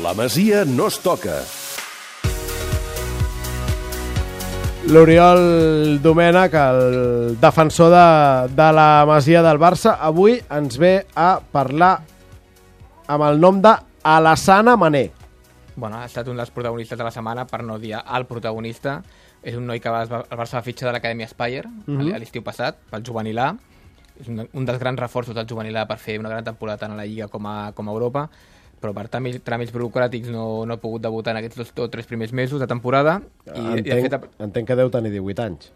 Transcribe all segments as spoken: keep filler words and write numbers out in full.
La Masia no es toca. L'Oriol Domènech, el defensor de, de la Masia del Barça, avui ens ve a parlar amb el nom de Alassane Mané. Bueno, ha estat un dels protagonistes de la setmana, per no dir el protagonista. És un noi que va, el Barça va fitxar de l'Acadèmia Spire mm-hmm. a l'estiu passat, pel juvenil A. És un, un dels grans reforços del juvenil A per fer una gran temporada tant a la Lliga com a, com a Europa, però per tràmits, tràmits burocràtics no, no ha pogut debutar en aquests dos o tres primers mesos de temporada. I, entenc, i de fet, entenc que deu tenir divuit anys.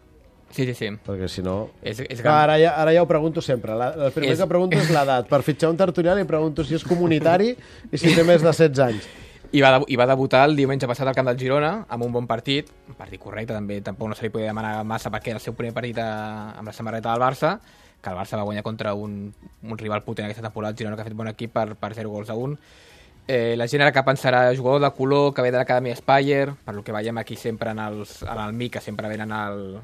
Sí, sí, sí. Perquè si no... És, és Clar, ara, ja, ara ja ho pregunto sempre. La, el primer és... que pregunto és l'edat. Per fitxar un tertulià li pregunto si és comunitari i si té més de setze anys. I va, I va debutar el diumenge passat al camp del Girona amb un bon partit, un partit correcte també, tampoc no se li podia demanar massa perquè era el seu primer partit a, amb la samarreta del Barça, que el Barça va guanyar contra un, un rival potent aquesta temporada, el Girona, que ha fet bon equip per, per zero gols a un. Eh, la gent ara que pensarà jugador de color que ve de l'Acadèmia Spire, per lo que veiem aquí sempre en, els, en el M I, que sempre venen al,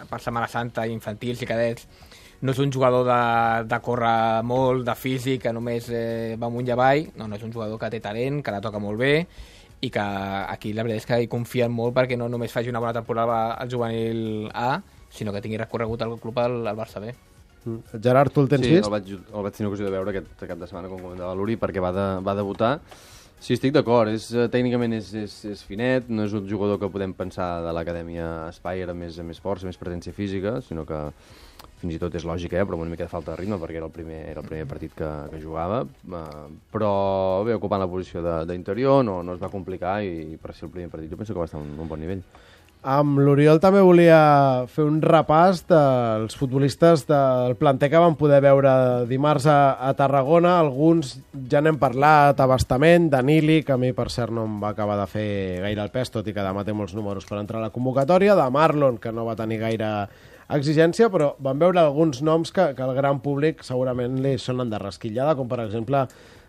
per Setmana Santa, infantils i cadets. No és un jugador de, de córrer molt, de físic, que només eh, va amunt i avall. No, no és un jugador que té talent, que la toca molt bé i que aquí la veritat és que hi confien molt perquè no només faci una bona temporada al juvenil A, sinó que tingui recorregut al club al, al Barça B. Mm. Gerard, tu el tens sí, vist? Sí, el vaig, el vaig tenir ocasió de veure aquest cap de setmana, com comentava l'Uri, perquè va, de, va debutar. Sí, estic d'acord, és, tècnicament és, és, és finet, no és un jugador que podem pensar de l'Acadèmia Spire amb més, més força, més presència física, sinó que fins i tot és lògic, eh? Però una mica de falta de ritme perquè era el primer, era el primer partit que, que jugava, uh, però bé, ocupant la posició d'interior, no, no es va complicar i per ser el primer partit jo penso que va estar un, un bon nivell. Amb l'Oriol també volia fer un repàs dels futbolistes del planter que vam poder veure dimarts a, a Tarragona. Alguns ja n'hem parlat a bastament. Danili, que a mi per cert no em va acabar de fer gaire el pes, tot i que demà té molts números per entrar a la convocatòria. De Marlon, que no va tenir gaire exigència, però vam veure alguns noms que, que al gran públic segurament li sonen de rasquillada, com per exemple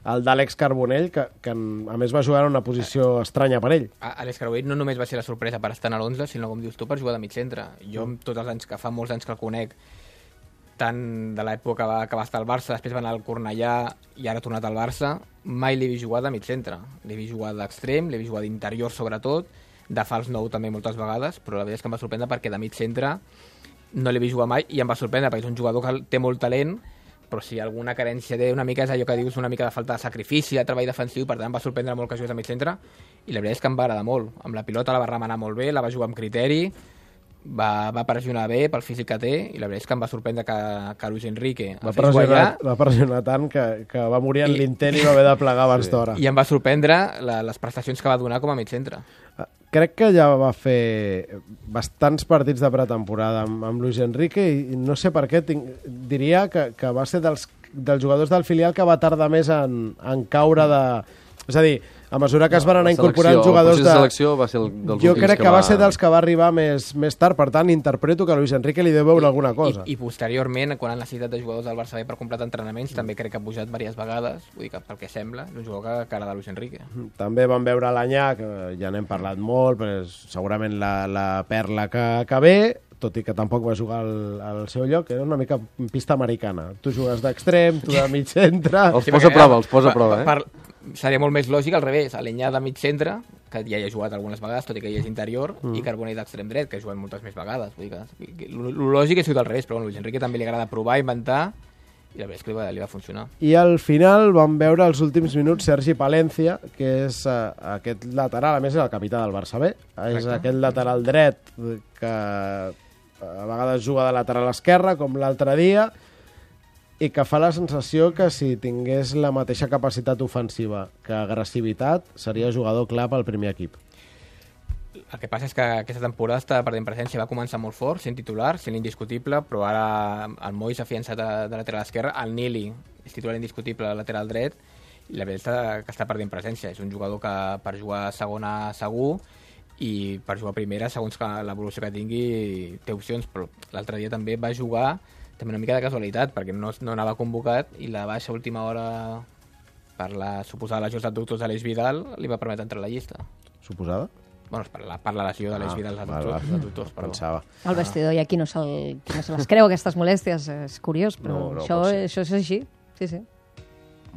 el d'Àlex Carbonell, que, que a més va jugar en una posició estranya per ell. Àlex Carbonell no només va ser la sorpresa per estar en l'onze, sinó, com dius tu, per jugar de mig centre. Jo, mm. tots els anys, que fa molts anys que el conec, tant de l'època que va, que va estar al Barça, després va anar al Cornellà i ara ha tornat al Barça, mai l'he vist jugar de mig centre. L'he vist jugar d'extrem, l'he vist jugar d'interior sobretot, de fals nou també moltes vegades, però la veritat és que em va sorprendre perquè de mig centre no l'he vist jugar mai i em va sorprendre perquè és un jugador que té molt talent, però si alguna carència té una mica és allò que dius, una mica de falta de sacrifici, de treball defensiu, per tant em va sorprendre molt que jugués a mig centre i la veritat és que em va agradar molt. Amb la pilota la va remenar molt bé, la va jugar amb criteri, va, va pressionar bé pel físic que té i la veritat és que em va sorprendre que, que Luis Enrique va pressionar, va pressionar tant que, que va morir en l'intent i va haver de plegar abans sí. d'hora. I em va sorprendre la, les prestacions que va donar com a mig centre. Crec que ja va fer bastants partits de pretemporada amb, amb Luis Enrique i no sé per què tinc, diria que, que va ser dels, dels jugadors del filial que va tardar més en, en caure de... És a dir, a mesura que no, es van anar incorporant jugadors de... El selecció va ser el dels jo últims crec que, que va... va ser dels que va arribar més, més tard, per tant interpreto que Luis Enrique li deu veure I, alguna cosa. I, I posteriorment, quan han necessitat de jugadors del Barça B per completar entrenaments, mm. també crec que ha pujat diverses vegades, vull dir que pel que sembla, és un jugador que, que era de Luis Enrique. També vam veure l'Anyà, que ja n'hem parlat molt, però és segurament la, la perla que, que ve, tot i que tampoc va jugar al, al seu lloc, era una mica pista americana. Tu jugues d'extrem, tu de mig centre... Els posa a prova, els posa a prova, eh? Per, seria molt més lògic al revés, l'Anyà de mig centre, que ja hi ha jugat algunes vegades, tot i que hi és interior, mm. i Carbonell d'extrem dret, que ha jugat moltes més vegades. Vull dir que el lògic és jugar al revés, però bueno, Luis Enrique també li agrada provar, inventar, i la veritat és que li va, li va funcionar. I al final vam veure els últims minuts Sergi Palencia, que és uh, aquest lateral, a més és el capità del Barça B, és Correcte. Aquest lateral dret que a vegades juga de lateral esquerra, com l'altre dia, i que fa la sensació que si tingués la mateixa capacitat ofensiva que agressivitat, seria jugador clar pel primer equip. El que passa és que aquesta temporada està perdent presència, va començar molt fort, sent titular, sent indiscutible, però ara el Moi s'ha afiançat de, de lateral esquerra, el Nili és titular indiscutible de lateral dret, i la veritat és que està perdent presència. És un jugador que per jugar segona segur, i per jugar primera, segons que l'evolució que tingui, té opcions, però l'altre dia també va jugar també una mica de casualitat, perquè no, no anava convocat i la baixa última hora per la suposada lesió dels adductors de l'Eix Vidal li va permetre entrar a la llista. Suposada? Bueno, per la, per la lesió de l'Eix Vidal dels adductors, ah, adductors però... pensava. El vestidor hi ha qui no, qui no se les creu, aquestes molèsties, és curiós, però no, no, això, això és així, sí, sí.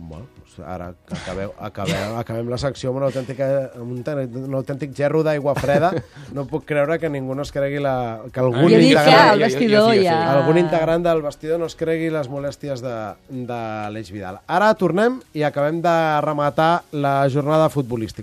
Bueno, doncs ara que acabeu, acabeu, acabem la secció amb un autèntic, amb un, un autèntic gerro d'aigua freda. No puc creure que ningú no es cregui la... Que algun, Jo dic que integrant, al vestidor ja... algun integrant del vestidor no es cregui les molèsties de, de l'Eix Vidal. Ara tornem i acabem de rematar la jornada futbolística.